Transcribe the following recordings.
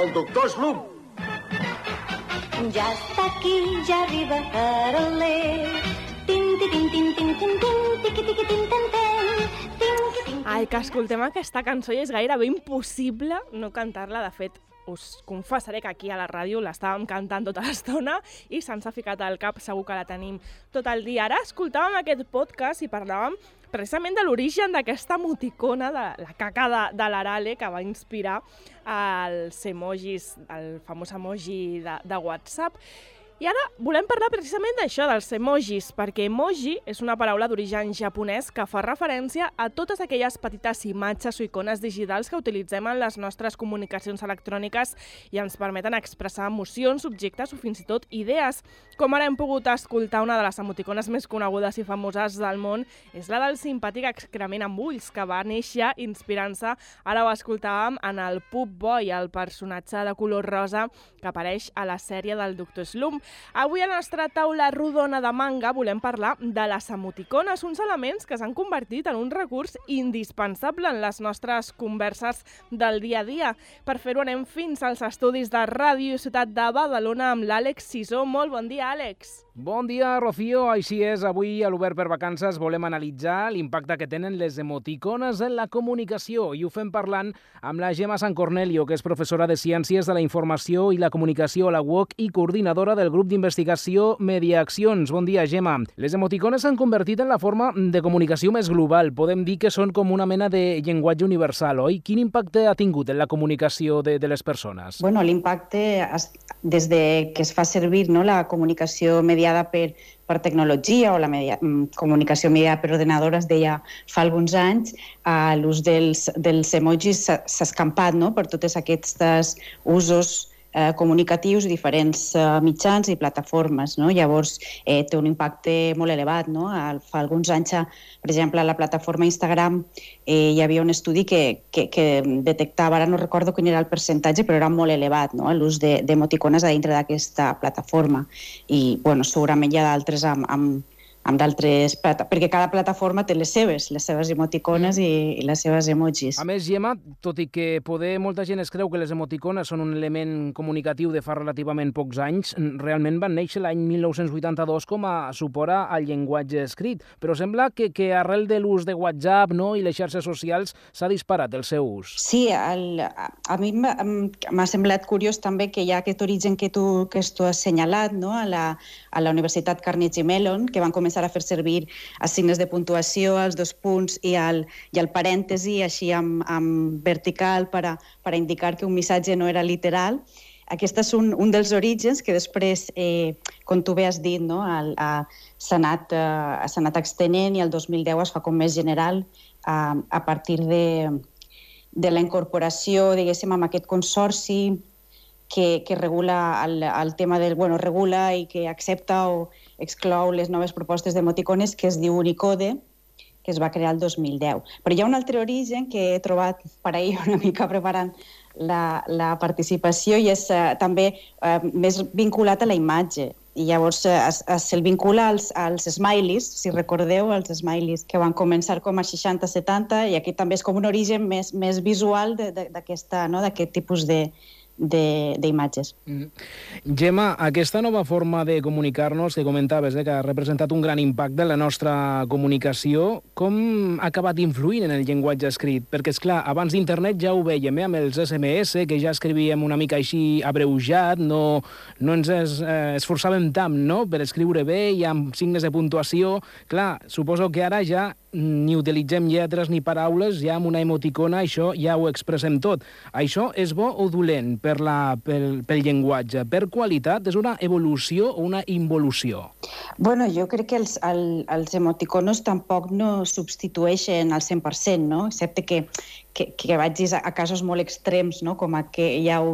el doctor Slum. Ja està aquí, ja arriba Caroler. Tin, tin, tin, tin, tin, tin, tiqui, tiqui, tin, tin, tin. Ai, que escoltem aquesta cançó i és gairebé impossible no cantar-la. De fet, us confessaré que aquí a la ràdio l'estàvem cantant tota l'estona i se'ns ha ficat al cap, segur que la tenim tot el dia. Ara escoltàvem aquest podcast i parlàvem precisament de l'origen d'aquesta emoticona, de la caca de l'Arale, que va inspirar els emojis, el famós emoji de WhatsApp. I ara volem parlar precisament d'això, dels emojis, perquè emoji és una paraula d'origen japonès que fa referència a totes aquelles petites imatges o icones digitals que utilitzem en les nostres comunicacions electròniques i ens permeten expressar emocions, objectes o fins i tot idees. Com ara hem pogut escoltar, una de les emoticones més conegudes i famoses del món és la del simpàtic excrement amb ulls, que va néixer inspirant-se, ara ho escoltàvem, en el Pup Boy, el personatge de color rosa que apareix a la sèrie del Dr. Slump. Avui a la nostra taula rodona de manga volem parlar de les emoticones, uns elements que s'han convertit en un recurs indispensable en les nostres converses del dia a dia. Per fer-ho anem fins als estudis de Ràdio Ciutat de Badalona amb l'Àlex Sisó. Molt bon dia, Àlex. Bon dia, Rocío. Així és, avui a l'Obert per Vacances volem analitzar l'impacte que tenen les emoticones en la comunicació i ho fem parlant amb la Gemma San Cornelio, que és professora de Ciències de la Informació i la Comunicació a la UOC i coordinadora del grup d'investigació Mediaaccions. Bon dia, Gemma. Les emoticones s'han convertit en la forma de comunicació més global. Podem dir que són com una mena de llenguatge universal, oi? Quin impacte ha tingut en la comunicació de les persones? Bueno, l'impacte, des de que es fa servir, no, la comunicació mediada per tecnologia o la comunicació mediada per ordinador, es deia fa alguns anys, l'ús dels emojis s'ha escampat, no, per tots aquests usos comunicatius, diferents mitjans i plataformes, no? Llavors té un impacte molt elevat, no? Fa alguns anys, per exemple, a la plataforma Instagram hi havia un estudi que detectava, ara no recordo quin era el percentatge, però era molt elevat, no? L'ús d'emoticones a dintre d'aquesta plataforma. I bueno, segurament hi ha d'altres amb d'altres, perquè cada plataforma té les seves emoticones i les seves emojis. A més, Gemma, tot i que molta gent es creu que les emoticones són un element comunicatiu de fa relativament pocs anys, realment van néixer l'any 1982 com a suport al llenguatge escrit, però sembla que arrel de l'ús de WhatsApp, no, i les xarxes socials s'ha disparat el seu ús. Sí, a mi m'ha semblat curiós també que hi ha aquest origen que tu has assenyalat, no, a la Universitat Carnegie Mellon, que van començar a fer servir els signes de puntuació, els dos punts i el parèntesi, així amb vertical per a indicar que un missatge no era literal. Aquest és un dels orígens que després, com tu bé has dit, no, s'ha anat extenent i el 2010 es fa com més general a partir de la incorporació, diguéssim, amb aquest consorci que regula el tema regula i que accepta o exclou les noves propostes d'emoticones, que es diu Unicode, que es va crear el 2010. Però hi ha un altre origen que he trobat per ahir una mica preparant la participació i és també més vinculat a la imatge. I llavors se'l vincula als smileys, si recordeu, els smileys que van començar com a 60-70, i aquí també és com un origen més visual d'aquest tipus d'imatges. Gemma, aquesta nova forma de comunicar-nos que comentaves, que ha representat un gran impacte en la nostra comunicació, com ha acabat influint en el llenguatge escrit? Perquè, esclar, abans d'internet ja ho vèiem, amb els SMS, que ja escrivíem una mica així abreujat, no ens esforçàvem tant, no?, per escriure bé i amb signes de puntuació. Clar, suposo que ara ja ni utilitzem lletres ni paraules, ja amb una emoticona això ja ho expressem tot. Això és bo o dolent pel llenguatge? Per qualitat, és una evolució o una involució? Bueno, jo crec que els emoticonos tampoc no substitueixen al 100%, no? Excepte que vagis a casos molt extrems, no? Com que hi ha,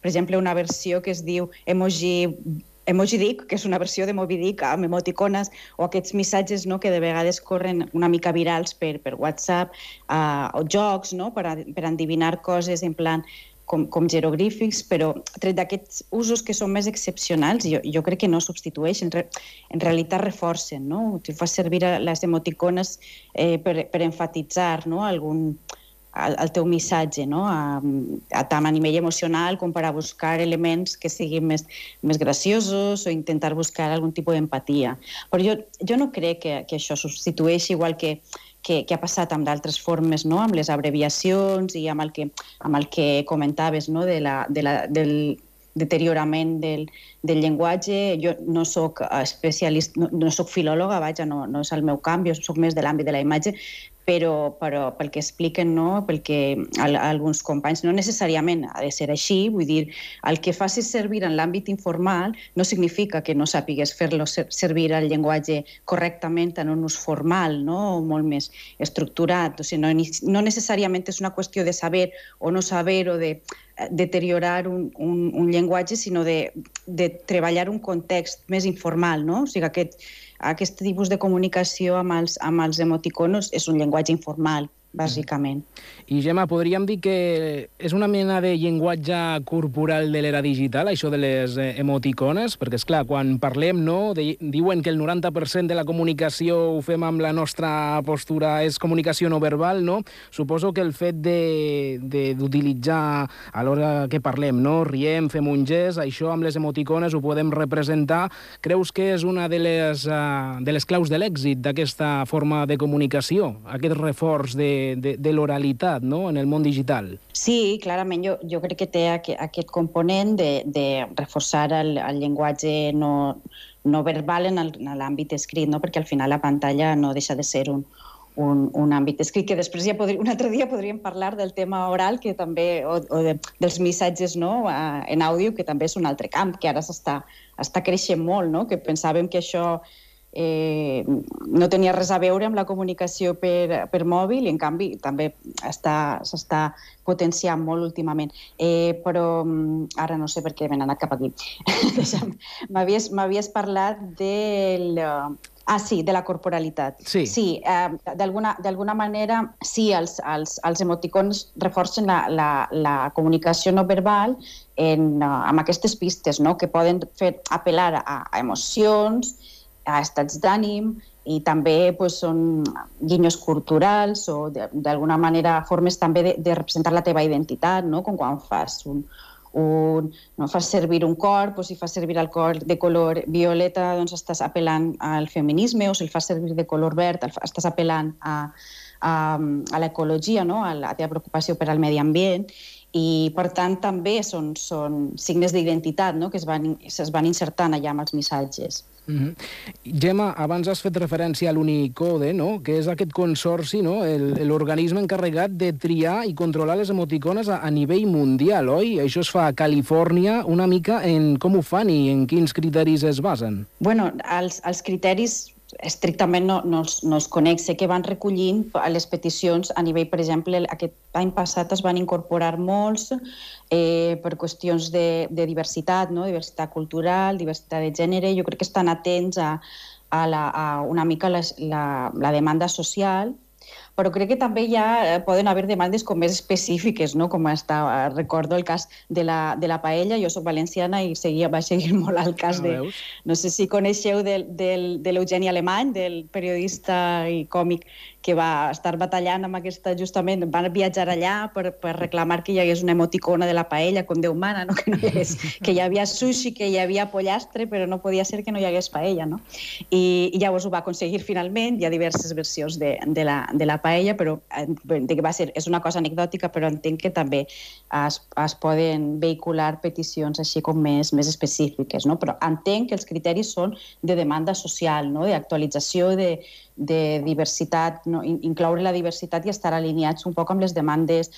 per exemple, una versió que es diu Emoji Dick, que és una versió de Moby Dick amb emoticones, o aquests missatges, no, que de vegades corren una mica virals per WhatsApp, o jocs, no, per endevinar coses en plan com jeroglífics, però tret d'aquests usos que són més excepcionals, jo crec que no substitueixen, en realitat reforcen, no? Tu fas servir les emoticones per enfatitzar, no, al teu missatge, no? Tant a nivell emocional com per a buscar elements que siguin més graciosos o intentar buscar algun tipus d'empatia. Però jo no crec que això substitueixi, igual que ha passat amb d'altres formes, no? Amb les abreviacions i amb el que comentaves, no? Del deteriorament del llenguatge. Jo no soc especialista, no soc filòloga, vaja, no és el meu camp, jo soc més de l'àmbit de la imatge, però pel que expliquen, no? Pel que alguns companys, no necessàriament ha de ser així, vull dir, el que facis servir en l'àmbit informal no significa que no sàpigues fer-lo servir el llenguatge correctament en un ús formal, no? O molt més estructurat. O sigui, no necessàriament és una qüestió de saber o no saber o de deteriorar un llenguatge, sinó de treballar un context més informal, no? O sigui, aquest tipus de comunicació amb els emoticonos és un llenguatge informal, bàsicament. I, Gemma, podríem dir que és una mena de llenguatge corporal de l'era digital, això de les emoticones? Perquè, esclar, quan parlem, no, diuen que el 90% de la comunicació ho fem amb la nostra postura, és comunicació no verbal, no? Suposo que el fet d'utilitzar a l'hora que parlem, no? Riem, fem un gest, això amb les emoticones ho podem representar. Creus que és una de les claus de l'èxit d'aquesta forma de comunicació, aquest reforç de l'oralitat, no?, en el món digital. Sí, clarament. Jo crec que té aquest component de reforçar el llenguatge no verbal en l'àmbit escrit, no? Perquè al final la pantalla no deixa de ser un àmbit escrit, que després un altre dia podríem parlar del tema oral, que també, o dels missatges, no?, en àudio, que també és un altre camp, que ara està creixent molt, no?, que pensàvem que això no tenia res a veure amb la comunicació per mòbil i, en canvi, també s'està potenciant molt últimament. Però ara no sé per què m'he anat cap aquí. M'havies parlat del... sí, de la corporalitat. Sí, d'alguna manera, sí, els emoticons reforcen la comunicació no verbal amb aquestes pistes, no?, que poden fer apel·lar a emocions, a estats d'ànim, i també són guinyos culturals o d'alguna manera formes també de representar la teva identitat, no?, com quan fas fas servir un cor, si fas servir el cor de color violeta, doncs estàs apel·lant al feminisme, o si el fas servir de color verd, estàs apel·lant a l'ecologia, no?, a la teva preocupació per al medi ambient, i per tant també són signes d'identitat, no?, que es van insertant allà amb els missatges. Gemma, abans has fet referència a l'Unicode, no?, que és aquest consorci, no?, l'organisme encarregat de triar i controlar les emoticones a nivell mundial, oi? Això es fa a Califòrnia. Una mica en com ho fan i en quins criteris es basen? Bueno, els criteris estrictament no els conec. Sé que van recollint les peticions a nivell, per exemple, aquest any passat es van incorporar molts per qüestions de diversitat, no? Diversitat cultural, diversitat de gènere. Jo crec que estan atents a una mica la demanda social, però crec que també ja poden haver demandes com més específiques, no? Com recordo el cas de la paella. Jo soc valenciana i vaig seguir molt el cas de... No sé si coneixeu de l'Eugeni Alemany, del periodista i còmic que va estar batallant amb aquesta, justament, van viatjar allà per reclamar que hi hagués una emoticona de la paella, com Déu mana, no? Que hi havia sushi, que hi havia pollastre, però no podia ser que no hi hagués paella, no? I llavors ho va aconseguir finalment. Hi ha diverses versions de la paella, però és una cosa anecdòtica, però entenc que també es poden vehicular peticions així com més específiques, no? Però entenc que els criteris són de demanda social, no? D'actualització, de diversitat, no? Incloure la diversitat i estar alineats un poc amb les demandes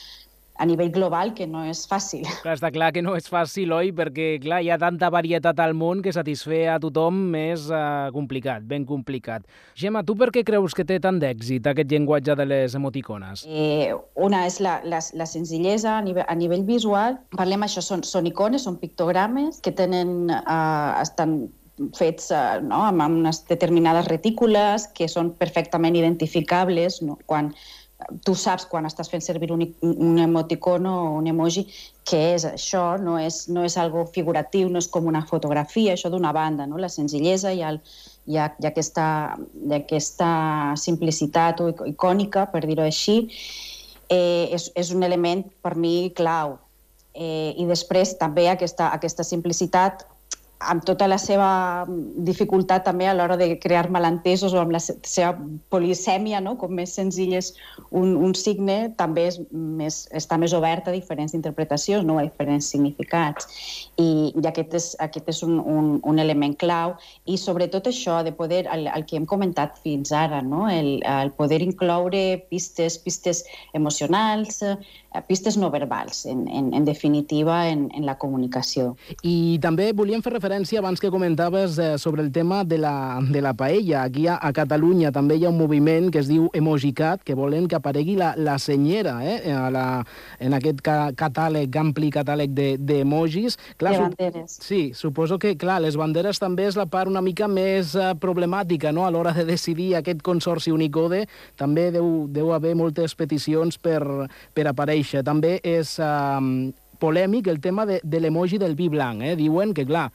a nivell global, que no és fàcil. Clar, està clar que no és fàcil, oi? Perquè, clar, hi ha tanta varietat al món que satisfer a tothom és complicat, ben complicat. Gemma, tu per què creus que té tant d'èxit aquest llenguatge de les emoticones? Una és la senzillesa a nivell visual. Parlem això, són icones, són pictogrames que estan fets amb unes determinades retícules que són perfectament identificables, no? Quan tu saps, quan estàs fent servir un emoticono o un emoji, què és això, no és algo figuratiu, no és com una fotografia, això d'una banda, no? La senzillesa i aquesta simplicitat icònica, per dir-ho així. és un element per mi clau. I després també aquesta simplicitat amb tota la seva dificultat també a l'hora de crear malentesos o amb la seva polisèmia, no? Com més senzill és un signe, també està més obert a diferents interpretacions, no? A diferents significats. I aquest és un element clau. I sobretot això, de poder, el que hem comentat fins ara, no? El poder incloure pistes emocionals, pistes no verbals, en definitiva, en la comunicació. I també volíem fer referència, abans que comentaves, sobre el tema de la paella. Aquí a Catalunya també hi ha un moviment que es diu Emojicat, que volen que aparegui la senyera en aquest ampli catàleg d'emojis. De banderes. Sí, suposo que, clar, les banderes també és la part una mica més problemàtica, no? A l'hora de decidir aquest consorci Unicode, també deu haver moltes peticions per aparèixer. També és polèmic el tema de l'emoji del vi blanc. Diuen que, clar,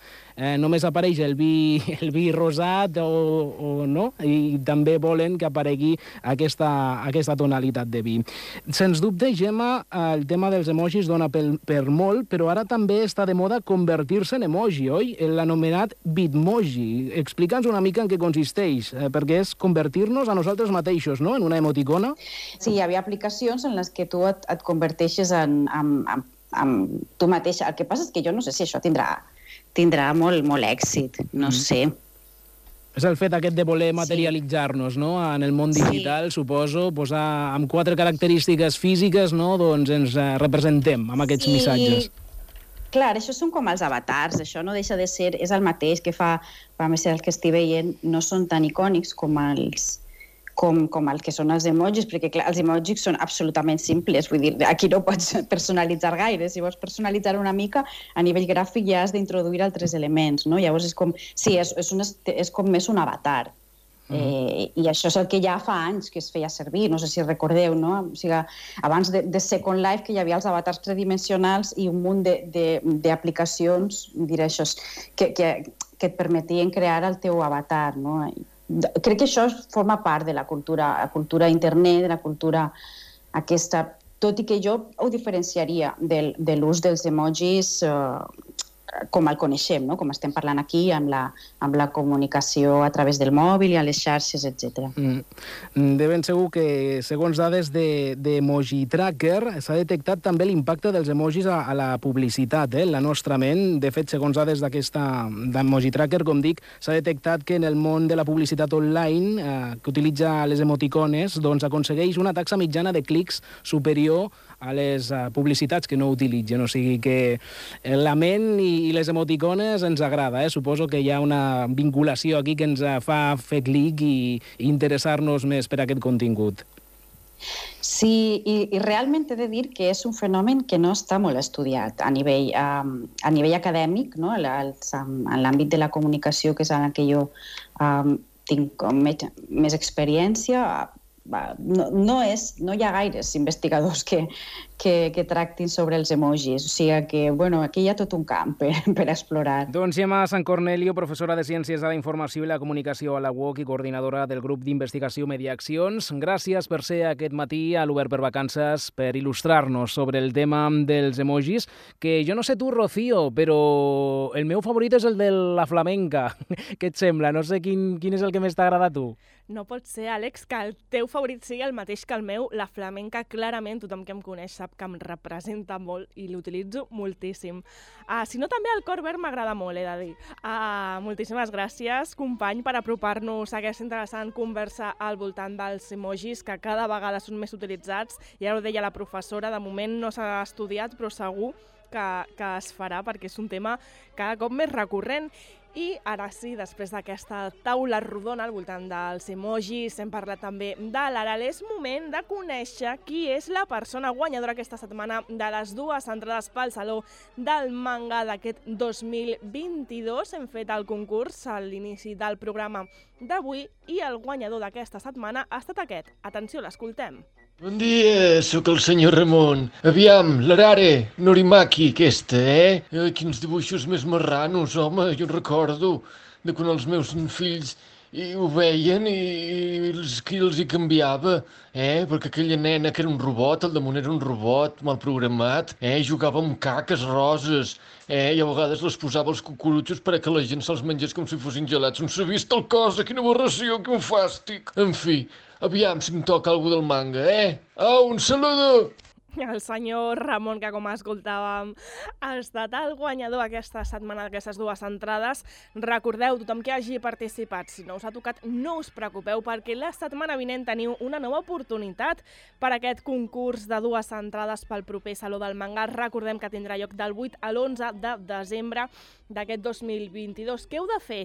només apareix el vi rosat o no, i també volen que aparegui aquesta tonalitat de vi. Sens dubte, Gemma, el tema dels emojis dona per molt, però ara també està de moda convertir-se en emoji, oi? L'anomenat bitmoji. Explica'ns una mica en què consisteix, perquè és convertir-nos a nosaltres mateixos, no?, en una emoticona. Sí, hi havia aplicacions en les que tu et converteixes en tu mateixa. El que passa és que jo no sé si això tindrà molt èxit, no sé. És el fet aquest de voler materialitzar-nos, no?, en el món digital, suposo, posar amb 4 característiques físiques, no?, doncs ens representem amb aquests missatges. Clar, això són com els avatars, això no deixa de ser, és el mateix que fa, a més el que estic veient, no són tan icònics com el que són els emojis, perquè clar, els emojis són absolutament simples, vull dir, aquí no pots personalitzar gaire, si vols personalitzar una mica, a nivell gràfic ja has d'introduir altres elements, no? Llavors és com, sí, és com més un avatar. I això és el que ja fa anys que es feia servir, no sé si recordeu, no? O sigui, abans de Second Life, que hi havia els avatars tridimensionals i un munt d'aplicacions, diré això, que et permetien crear el teu avatar, no? Crec que això forma part de la cultura internet, de la cultura aquesta, tot i que jo ho diferenciaria de l'ús dels emojis com el coneixem, no? Com estem parlant aquí, amb la comunicació a través del mòbil i a les xarxes, etc. De ben segur que, segons dades d'Emoji Tracker, s'ha detectat també l'impacte dels emojis a la publicitat, en la nostra ment. De fet, segons dades d'Emoji Tracker, com dic, s'ha detectat que en el món de la publicitat online, que utilitza les emoticones, doncs aconsegueix una taxa mitjana de clics superior a les publicitats que no utilitzen. O sigui que la ment i les emoticones ens agrada. Suposo que hi ha una vinculació aquí que ens fa fer clic i interessar-nos més per aquest contingut. Sí, i realment he de dir que és un fenomen que no està molt estudiat a nivell acadèmic, no? En l'àmbit de la comunicació, que és en el que jo tinc més experiència. No hi ha gaires investigadors que tractin sobre els emojis, o sigui que, bueno, aquí hi ha tot un camp per explorar. Doncs Gemma San Cornelio, professora de Ciències de la Informació i la Comunicació a la UOC i coordinadora del grup d'investigació Mediaaccions, gràcies per ser aquest matí a l'Obert per Vacances per il·lustrar-nos sobre el tema dels emojis, que jo no sé tu, Rocío, però el meu favorit és el de la flamenca. Què et sembla? No sé quin és el que més t'agrada a tu. No pot ser, Àlex, que el teu favorit sigui el mateix que el meu. La flamenca, clarament, tothom que em coneix sap que em representa molt i l'utilitzo moltíssim. Si no, també el cor verd m'agrada molt, he de dir. Moltíssimes gràcies, company, per apropar-nos a aquesta interessant conversa al voltant dels emojis, que cada vegada són més utilitzats. Ja ho deia la professora, de moment no s'ha estudiat, però segur que es farà, perquè és un tema cada cop més recurrent. I ara sí, després d'aquesta taula rodona al voltant dels emojis, hem parlat també de l'Aral, és moment de conèixer qui és la persona guanyadora aquesta setmana de les 2 entrades pel Saló del Manga d'aquest 2022. Hem fet el concurs a l'inici del programa d'avui i el guanyador d'aquesta setmana ha estat aquest. Atenció, l'escoltem. Bon dia, sóc el senyor Ramon. Aviam, l'Arare Norimaki aquesta, Quins dibuixos més marranos, home, jo recordo de quan els meus fills i ho veien i els hi canviava, perquè aquella nena que era un robot, al damunt era un robot mal programat, jugava amb caques roses, i a vegades les posava als cucurutxos perquè la gent se'ls mengés com si fossin gelats. On s'ha vist tal cosa? Quina aberració, quin fàstic! En fi, aviam si em toca alguna del manga, Au, un saludo! El senyor Ramon, que com escoltàvem ha estat el guanyador aquesta setmana d'aquestes dues entrades. Recordeu, tothom que hagi participat, si no us ha tocat, no us preocupeu, perquè la setmana vinent teniu una nova oportunitat per aquest concurs de dues entrades pel proper Saló del Manga. Recordem que tindrà lloc del 8 a l'11 de desembre d'aquest 2022. Què heu de fer?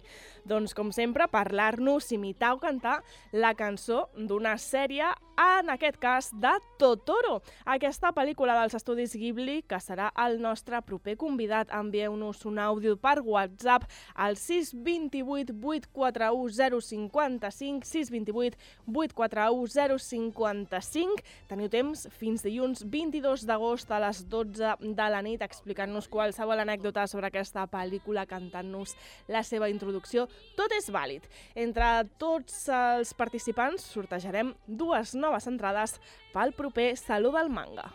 Doncs, com sempre, parlar-nos, imitar o cantar la cançó d'una sèrie, en aquest cas de Totoro, aquesta pel·lícula dels estudis Ghibli, que serà el nostre proper convidat. Envieu-nos un àudio per WhatsApp al 628 841 055, 628 841 055. Teniu temps fins dilluns 22 d'agost a les 12 de la nit explicant-nos qualsevol anècdota sobre aquesta pel·lícula, cantant-nos la seva introducció. Tot és vàlid. Entre tots els participants sortejarem dues noves entrades pel proper Saló del Manga.